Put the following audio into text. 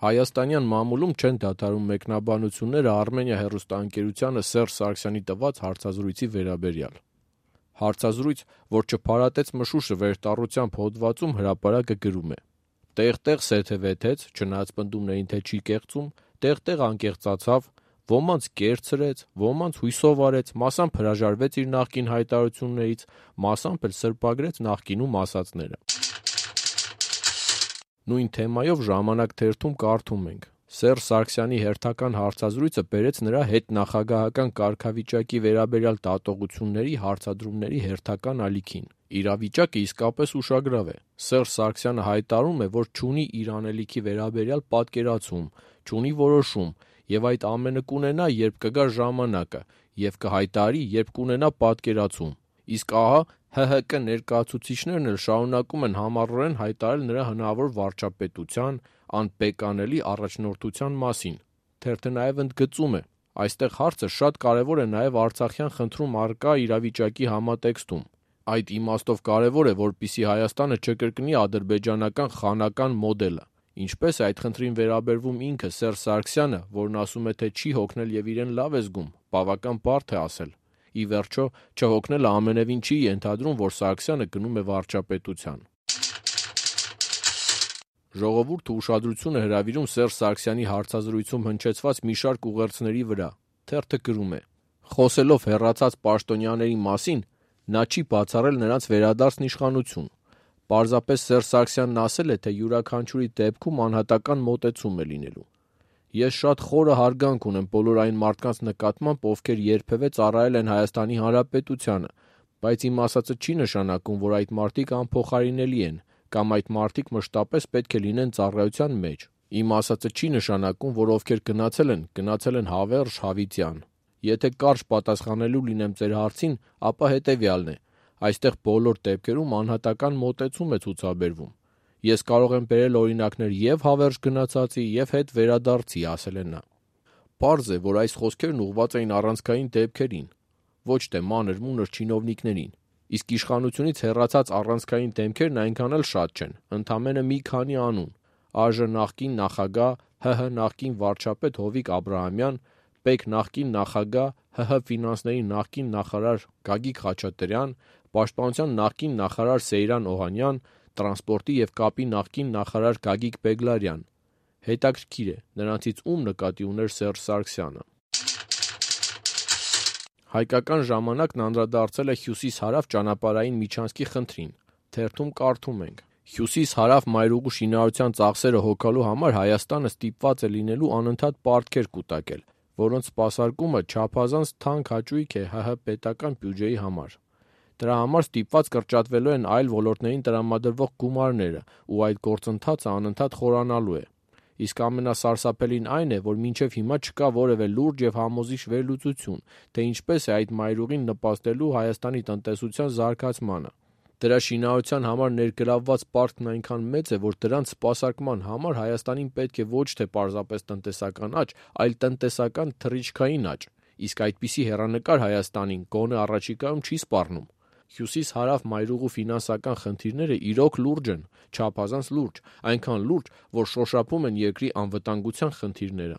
Հայաստանյան մամուլում չեն դադարում մեկնաբանությունները Արմենիա հեռուստաընկերությանը Սերժ Սարգսյանի տված հարցազրույցի վերաբերյալ։ Հարցազրույց, որ չփարատեց մշուշը վերտառությամբ հոդվածում, հրապարակը գրում է. «Տեղ-տեղ սեթևեթեց, չնայած պնդումներին, թե չի կեղծում, տեղ-տեղ անկեղծացավ, ոմանց կերցրեց, ոմանց հույսով արեց, մասամբ հրաժարվեց իր նախկին հայտարարություններից, մասամբ էլ սրբագրեց նախկինում ասածները»։ Նույն թեմայով «Ժամանակ» թերթում կարդում ենք. «Սերժ Սարգսյանի հերթական հարցազրույցը բերեց նրա հետնախագահական կարգավիճակի վերաբերյալ դատողությունների հարցադրումների հերթական ալիքին։ Իրավիճակը իսկապես ուշագրավ է։ Սերժ Սարգսյանը հայտարարում է, որ չունի իր անելիքի վերաբերյալ պատկերացում, չունի որոշում, եւ այդ ամենը կունենա, երբ կգա ժամանակը, եւ կհայտարարի, երբ կունենա պատկերացում։ Իսկ ահա ՀՀԿ ներկայացուցիչներն էլ շարունակում են համառորեն հայտարարել նրա հնարավոր վարչապետության, անպեկանելի առաջնորդության մասին»։ Թերթը նաև ընդգծում է. «Այստեղ հարցը շատ կարևոր է նաև արցախյան խնդրում առկա իրավիճակի համատեքստում։ Այդ իմաստով կարևոր է, որպեսզի Հայաստանը չկրկնի ադրբեջանական խանական մոդելը։ Ինչպես է այդ խնդրին վերաբերվում ինքը Սերժ Սարգսյանը, որն ասում է, թե չի հոգնել եւ իրեն լավ է զգում, բավական բարդ է ասել։ Ի վերջո, չհոգնելը ամենևին չի ենթադրում, որ Սարգսյանը գնում է վարչապետության»։ Ժողովուրդը ուշադրություն է հրավիրում Սերժ Սարգսյանի հարցազրույցում հնչեցված մի շարք ուղերձների վրա։ Թերթը գրում է. «Խոսելով հեռացած պաշտոնյաների մասին, նա չի բացառել նրանց վերադարձն իշխանություն։ Պարզապես Սերժ Սարգսյանն ասել է, թե յուրաքանչյուրի դեպքում անհատական մոտեցում է լինելու։ Ես շատ խորը հարգանք ունեմ բոլոր այն մարդկանց նկատմամբ, ովքեր երբևէ ծառայել են Հայաստանի Հանրապետությանը, բայց իմ ասածը չի նշանակում, որ այդ մարդիկ անփոխարինելի են, կամ այդ մարդիկ մշտապես պետք է լինեն ծառայության մեջ։ Իմ ասածը չի նշանակում, որ ովքեր գնացել են հավերժ, հավիտյան։ Եթե կարճ պատասխանելու լինեմ ձեր հարցին, ապա հետևյալն է. այստեղ բոլոր դեպքերում անհատական մոտեցում է ցուցաբերվում։ Ես կարող եմ բերել օրինակներ եւ հավերժ գնացածի, եւ հետ վերադարձի», ասել է նա։ Պարզ է, որ այս խոսքերն ուղղված էին առանցքային դեպքերին, ոչ թե մանր-մունր չինովնիկներին։ Իսկ իշխանությունից հեռացած առանցքային դեմքերն այնքան էլ շատ չեն, ընդամենը մի քանի անուն՝ ԱԺ նախկին նախագահ, ՀՀ նախկին վարչապետ Հովիկ Աբրահամյան, ՊԵԿ նախկին նախագահ, ՀՀ ֆինանսների նախկին նախարար Գագիկ Խաչատրյան, Պաշտպանության նախկին նախարար Սեյրան Օհանյան, տրանսպորտի եւ կապի նախկին նախարար Գագիկ Բեգլարյան։ Հետաքրքիր է, նրանցից ում նկատի ուներ Սերժ Սարգսյանը։ Հայկական ժամանակն անդրադարձել է հյուսիս-հարավ ճանապարհային միջանցքի խնդրին։ Թերթում կարդում ենք. «Հյուսիս-հարավ մայրուղու շինարարության ծախսերը հոգալու համար Հայաստանը ստիպված է լինելու անընդհատ պարտքեր կուտակել, որոնց սպասարկումը չափազանց թանկ հաճույք է ՀՀ պետական բյուջեի համար։ Դրա համար ստիպված կրճատվելու են այլ ոլորտներին տրամադրվող գումարները, ու այդ գործընթացը անընդհատ խորանալու է։ Իսկ ամենասարսափելին այն է, որ մինչև հիմա չկա որևէ լուրջ եւ համոզիչ վերլուծություն, թե ինչպես է այդ մայրուղին նպաստելու Հայաստանի տնտեսության զարգացմանը։ Դրա շինարարության համար ներգրավված պարտքն այնքան մեծ է, որ դրանց սպասարկման համար Հայաստանին պետք է ոչ թե պարզապես տնտեսական աճ, այլ տնտեսական թռիչքային աճ, իսկ այդպիսի հեռանկար Հայաստանին գոնե առաջիկայում չի սպառնում։ Հյուսիս-հարավ մայրուղու ֆինանսական խնդիրները իրոք լուրջ են, չափազանց լուրջ, այնքան լուրջ, որ շոշափում են երկրի անվտանգության խնդիրները»։